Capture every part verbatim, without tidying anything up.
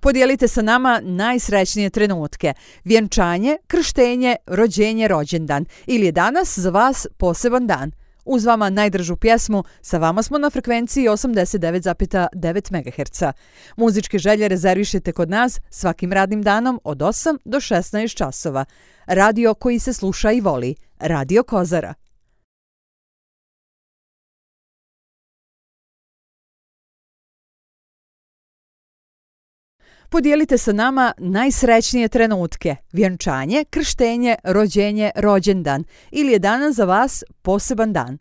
Podijelite sa nama najsrećnije trenutke. Vjenčanje, krštenje, rođenje, rođendan. Ili je danas za vas poseban dan. Uz vama najdržu pjesmu, sa vama smo na frekvenciji osamdeset devet zarez devet megaherca. Muzičke želje rezervišite kod nas svakim radnim danom od osam do šesnaest časova. Radio koji se sluša i voli. Radio Kozara. Podijelite sa nama najsrećnije trenutke. Vjenčanje, krštenje, rođenje, rođendan. Ili je danas za vas poseban dan.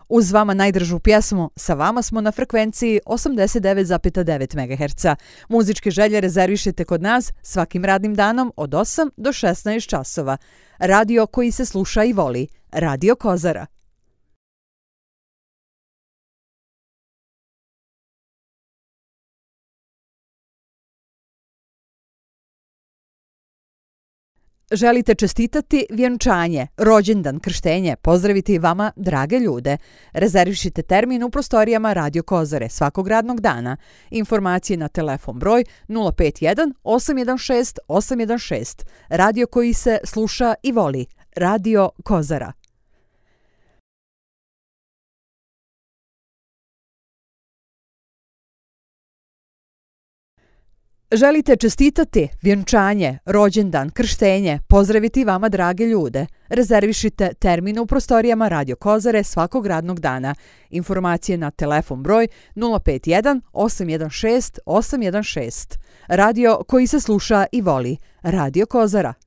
Uz vama najdržu pjesmu, sa vama smo na frekvenciji osamdeset devet zarez devet megaherca. Muzičke želje rezervišite kod nas svakim radnim danom od osam do šesnaest časova. Radio koji se sluša i voli. Radio Kozara. Želite čestitati vjenčanje, rođendan, krštenje, pozdraviti vama drage ljude. Rezervišite termin u prostorijama Radio Kozare svakog radnog dana. Informacije na telefon broj nula pet jedan osam jedan šest osam jedan šest. Radio koji se sluša i voli. Radio Kozara. Želite čestitati vjenčanje, rođendan, krštenje, pozdraviti vama drage ljude. Rezervišite termin u prostorijama Radio Kozare svakog radnog dana. Informacije na telefon broj nula pet jedan osam jedan šest osam jedan šest. Radio koji se sluša i voli. Radio Kozara.